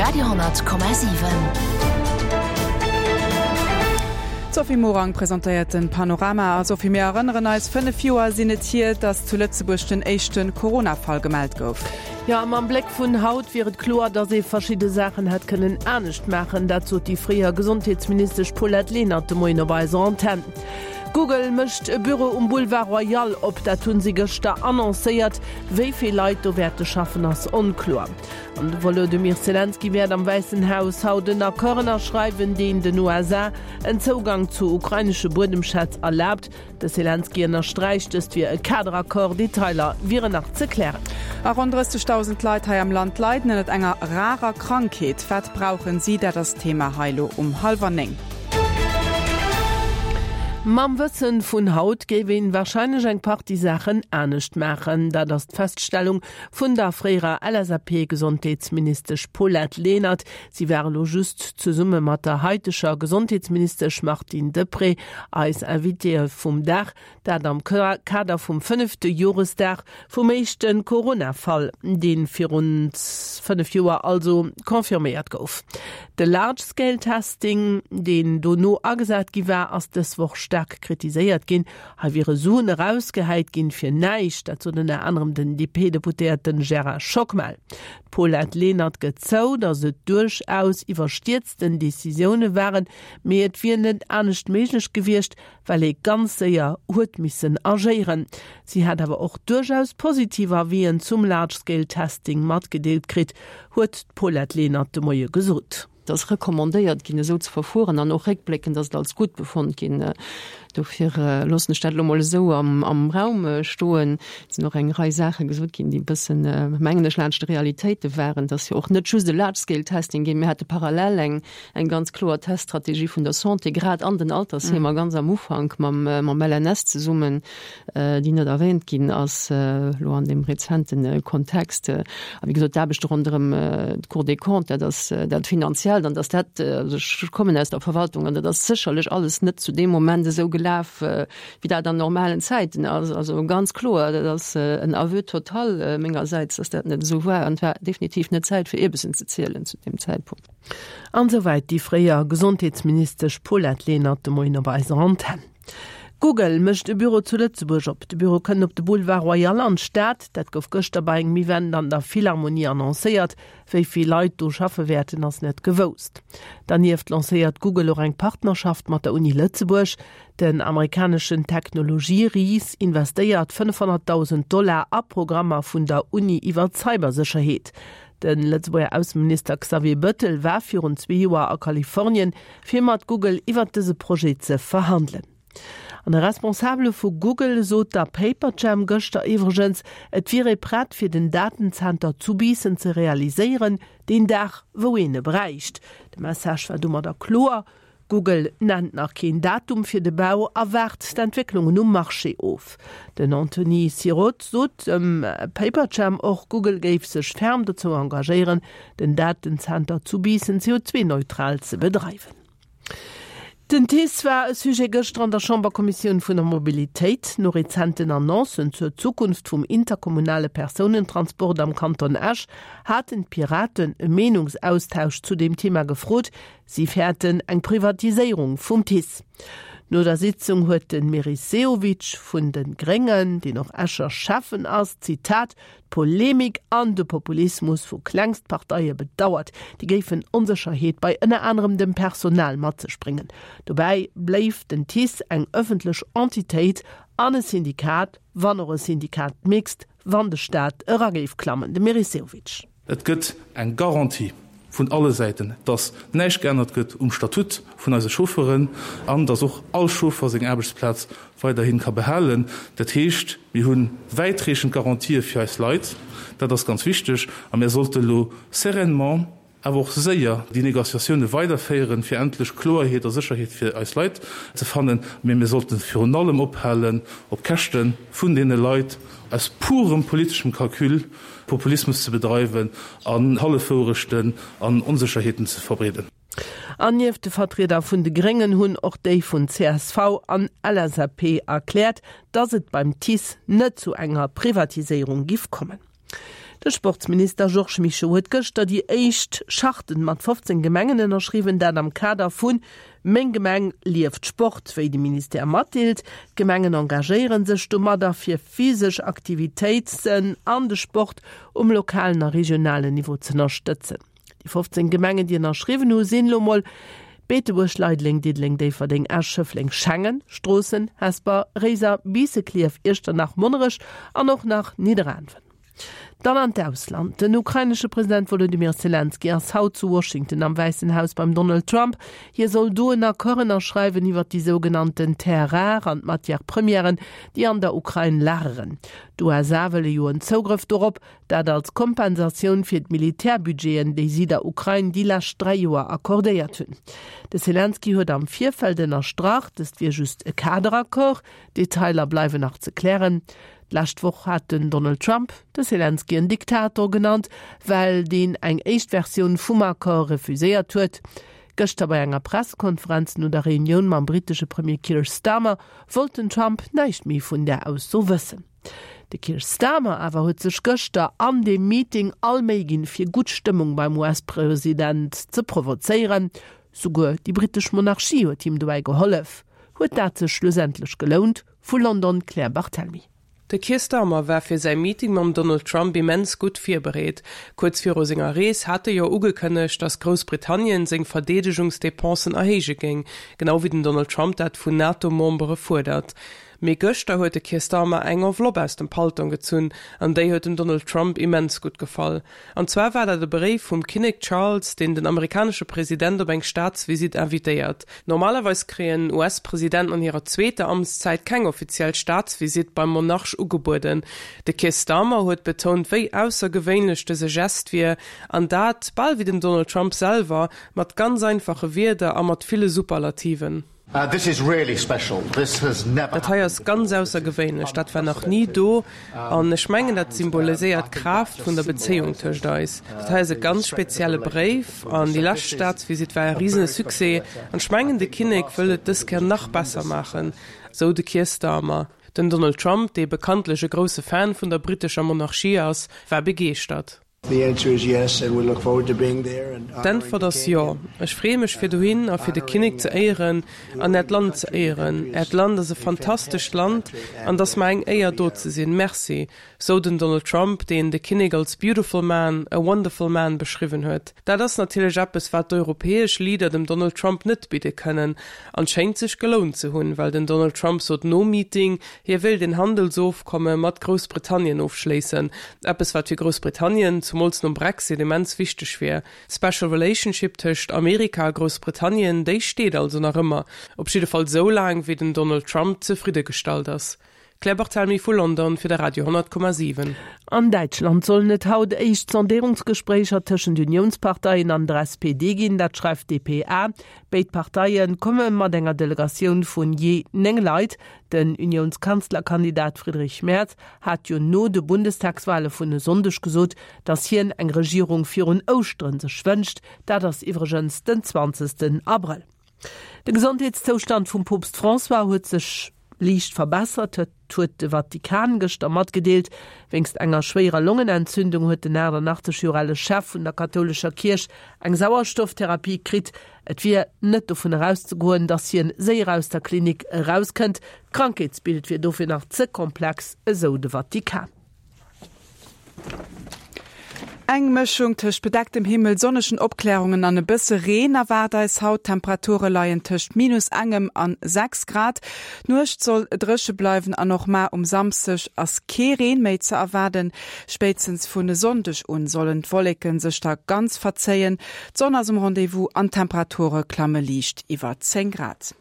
Radio,7. D'Sophie Morang presentéiert den Panorama. A Sophie, mir erënneren eis, 5 Joer sinn et hier, datt zu Lëtzebuerg den éischte Corona-Fall gemellt gouf. Jo, a mam Bléck vun haut wier et kloer, datt ee verschidde Saachen hätt kënnen anescht maachen. Dat sot déi fréier Gesondheetsministesch Paulette Lenert de Moien op eiser Antenn. Google mécht e Büro um Boulevard Royal op, dat hunn si gëschter annoncéiert. Wéi vill Leit do wäerte schaffen, ass onkloer. An de Wolodymyr Selenskyj wäert am Wäissen Haus haut en Accord ënnerschreiwen, deen den USA en Zougang zu ukrainesche Buedemschätz erlaabt. De Selenskyj ënnersträicht, dëst wier e Kaderaccord, Detailer wieren nach ze klären. A ronn 30.000 Leit hei am Land leiden ënnert enger rarer Krankheet. Wat brauchen si? Dat ass d'Thema hei elo um hallwer 9. Mam Wëssen vun haut géif een warscheinlech eng Partie Saachen anescht maachen. Dat ass d'Feststellung vun der fréierer LSAP-Gesondheetsministesch Paulette Lenert. Si war elo just zesumme mat der haiteger Gesondheetsministesch Martine Deprez eis Invitéeë vum Dag. Dat am Kader vum fënnefte Joresdag vum éischte Corona-Fall, dee virun 5 Joer also confirméiert gouf. De Large-Scale-Testing, deen dono agesat gi war, ass dës Woch staark kritiséiert ginn. Hei wiere Suen erausgehäit ginn fir näischt, dat sot ënner anerem den DP-Deputéierte Gérard Schockmel. D'Paulette Lenert gëtt zou, datt et duerchaus iwwerstierzten Decisioune waren, mee et wier net anescht méiglech gewiescht, well ee ganz séier huet missen agéieren. Si hätt awer och duerchaus positiv Avisen zum Large Scale Testing matgedeelt kritt, huet d'Paulette Lenert de Moie gesot. Et ass recommandéiert ginn, esou ze verfueren, an och réckbléckend ass et als gutt befonnt ginn. Dofir loossen ech dat elo mol esou am Raum stoen. Et sinn och eng Rei Saache gesot ginn, déi e bëssen, mengen ech, laanscht de Realitéite waren. Et ass jo och net just e Large-Scale-Testing ginn. Mir hate parallel eng eng ganz kloer Teststrategie vun der Santé, grad an den Altersheemer, ganz am Ufank mam mam LNS zesummen, déi net erwähnt ginn ass elo an deem rezente Kontext. A wéi gesot, d'Aarbechte ronderëm d'Cour des Comptes, dat ass dat Finanziellt an dass dat, also ech kommen aus der Verwaltung an dat ass sécherlech alles net zu deem Moment esou gelaf, wéi dat an normalen Zäiten ass. Also ganz kloer, dat ass en Aveu total mengersäits, dass dat net esou war an et war definitiv net Zäit fir Ierbessen ze zielen zu deem Zäitpunkt. An esouwäit déi fréier Gesondheetsministesch Paulette Lenert de Moien op eiser Antenn. Google mécht e Büro zu Lëtzebuerg op. De Büro kënnt op de Boulevard Royal an d'Stad. Dat gouf gëschter bei engem Event an der Philharmonie annoncéiert. Wéi vill Leit do schaffe wäerten, ass net gewousst. Dernieft lancéiert Google och eng Partnerschaft mat der Uni Lëtzebuerg. Den amerikaneschen Technologie-Ris investéiert 500.000 Dollar a Programmer vun der Uni iwwer d'Cybersécherheet. De Lëtzebuerger Ausseminister Xavier Bëttel war virun zwee Joer a Kalifornien, fir mat Google iwwert dëse Projet ze verhandelen. An e Responsabele vu Google sot der Paperjam gëschter iwwregens, et wier ee prett fir den Datenzenter zu Biissen ze realiséieren, deen Dag wou een e bräicht. De Message war domadder kloer, Google nennt nach keen Datum fir de Bau a waart d'Entwécklungen um Marché of. Den Anthony Sirot sot dem Paperjam och, Google géif sech ferm dozou engagéieren, den Datenzenter zu Biissen CO2-neutral ze bedreiwen. Den TICE war e Sujet gëschter an der Chamberkommissioun vun der Mobilitéit. No rezenten Annoncen zur Zukunft vum interkommunale Persounentransport am Kanton Esch haten d'Piraten e Meenungsaustausch zu deem Thema gefrot. Si fäerten eng Privatiséierung vum TICE. No der Sitzung huet de Meris Sehovic vun de Gréngen, deen och Escher Schäffen ass, Zitat, d'Polemik an de Populismus vu Klengstparteie bedauert. Déi géifen Onsécherheet bei ënner anerem dem Personal mat sech bréngen. Dobäi bléif den TICE eng ëffentlech Entitéit an e Syndikat, wann och e Syndicat mixte, wann de Staat era géif klammen. De Meris Sehovic. Et gëtt eng Garantie vun alle Säiten, dass näischt geännert gëtt um Statut vun eise Chauffeuren an dass och all Chauffer seng Aarbechtsplaz weiderhi ka behalen. Dat heescht, mir hu wäitreechend Garantië fir eis Leit. Dat ass ganz wichteg. A mir sollte elo sereinement, awer och séier déi Négociatioune weiderféieren, fir endlech Kloerheet a Sécherheet fir eis Leit ze fannen. Mee mir sollten virun allem ophalen, op Käschte vun deene Leit aus purem politeschem Calcul Populismus ze bedreiwen an Hallefwourechten an Onsécherheeten ze verbreeden. An nieft de Vertrieder vun de Gréngen hunn och déi vun csv an LSAP erkläert, datt et beim TICE net zu enger Privatiséierung giff kommen. De Sportsminister Georges Mischo huet gëschter déi éischt Charten mat 15 Gemengen ënnerschriwwen, dat am Kader vu Meng Gemeng lieft Sport, wéi de Ministère matdeelt. D'Gemengen engagéiere sech domadder, fir physesch Aktivitéiten an de Sport um lokalen a regionalen Niveau z'ënnerstëtzen. Déi 15 Gemengen, déi ënnerschriwwen hu sinn elo mol, Beetebuerg, Leideleng, Diddeleng, Déifferdeng, Esch, Schëffleng, Schengen, Stroossen, Hesper, Réiser, Biissen, Klierf, Iechternach, Monnerech an och nach Nidderaanwen. Dann an d'Ausland, Den ukrainesche President Wolodymyr Selenskyj ass haut zu Washington am Wäissen Haus beim Donald Trump. Hie soll do en Accord ënnerschreiwen iwwer déi sougenannten Terres rares an d'Matières premièren, déi an der Ukrain lageren. D'USA wëlle jo en Zougrëff dorop, dat als Kompensatioun fir d'Militärbudgeten, déi si der Ukrain déi lescht 3 Joer accordéiert hunn. De Selenskyj huet am Virfeld ënnerstrach, dëst wier just e Kaderaccord, Detailer bleiwen nach ze klären. D'lescht Woch hat den Donald Trump de Selenskyj en Diktator genannt, well deen eng éischt Versioun vum Accord refuséiert huet. Gëschter bei enger Pressekonferenz no der Reunioun mam brittesche Premier Keir Starmer wollt den Trump näischt méi vun där Ausso wëssen. De Keir Starmer awer huet sech gëschter an deem Meeting all Méi ginn, fir gutt Stëmmung beim US-President ze provozéieren. Souguer déi brittesch Monarchie huet him dobäi gehollef. Huet dat sech schlussendlech gelount? Vu London d'Claire Barthelmy. De Keir Starmer war fir säi Meeting mam Donald Trump immens gutt virbereet. Kuerz viru senger Rees hat e jo ugekënnegt, datt Groussbritannien seng Verdeedegungsdepensen erhéije géing, genau wéi den Donald Trump dat vun NATO-Membere fuerdert. Mee gëschter huet de Keir Starmer eng Enveloppe aus dem Paltong gezunn an déi huet dem Donald Trump immens gutt gefall. An zwar war dat e Bréif vum Kinnek Charles, deen den amerikanesche President op eng Staatsvisitt invitéiert. Normalerweis kréien US-Presidenten an hirer zweeter Amtszäit keng offiziell Staatsvisitt beim Monarch ugebueden. De Keir Starmer huet betount, wéi aussergewéinlech dëse Gest wier, an dat, bal wéi den Donald Trump selwer, mat ganz einfache Wierder a mat ville Superlativen. Dat hei ass ganz aussergewéinlech, dat war nach ni do. An ech mengen, dat symboliséiert d'Kraaft vun der Bezéiung tëscht eis. Dat hei ass e ganz spezielle Bréif an déi lescht Staatsvisitt war e risene Succès. An ech mengen, de Kinnek wëll et dës Kéier nach besser maachen, sou de Keir Starmer. Den Donald Trump, dee bekanntlech e grousse Fan vun der brittescher Monarchie ass, war begeeschtert. D'Äntwert ass jo. Ech freeë mech fir dohin a fir de Kinnek ze éieren an Äert Land ze éieren. Äert Land ass e fantastescht Land an et ass mer eng Éier do ze sinn. Merci, sou den Donald Trump, deen de Kinnek als beautiful man, a wonderful man beschriwwen huet. Dat ass natierlech eppes wat d'europäesch Leader dem Donald Trump net bidde kënnen an schéngt sech gelount ze hunn, well den Donald Trump sot nom Meeting, Hie wéilt een Handelsofkomme mat Groussbritannien ofschléissen, eppes wat fir Groussbritannien, zumools nom Brexit, immens wichteg wier. D'Special Relationship tëscht Amerika a Groussbritannien, déi steet also nach ëmmer, op jidde Fall esou laang wéi den Donald Trump zefridde gestallt ass. Claire Barthelmy vu London fir de Radio 10,7. An Däitschland sollen et haut éischt Sondéierungsgespréicher tëschent Uniounsparteien an der SPD ginn, dat schreift d'dpa. Béid Parteie komme mat enger Delegatioun vun jee 9 Leit. Den Uniounskanzlerkandidat Friedrich Merz hat jo no de Bundestagswale vun e Sonndeg gesot, datt hien eng Regierung virun Ouschteren sech wënscht. Dat ass iwwregens den 20 Abrëll. De Gesondheetszoustand vum Poopst François huet sech liicht verbessert, huet de Vatikan gëschter matgedeelt. Wéinst enger schwéierer Longenentzündung huet den 88 Joer ale Chef vun der kathoulescher Kierch eng Sauerstofftherapie kritt. Et wier net dovun erauszegoen, datt hien séier aus der Klinik erauskënnt. D'Krankheetsbild wier dofir nach ze komplex, esou de Vatikan. Eng Mëschung tëscht bedecktem Himmel, sonnegen Opklärungen an e bësse Reen erwaart eis haut. D'Temperature leien tëscht minus engem an 6 Grad. D'Nuecht soll dréche bleiwen an och mar um Samsdeg ass kee Reen méi ze erwaarden. Spéitstens vun e Sonndeg un sollen d'Wolleke sech da ganz verzéien. D'Sonn ass um Rendez-vous an d'Temperature klamme liicht iwwer 10 Grad.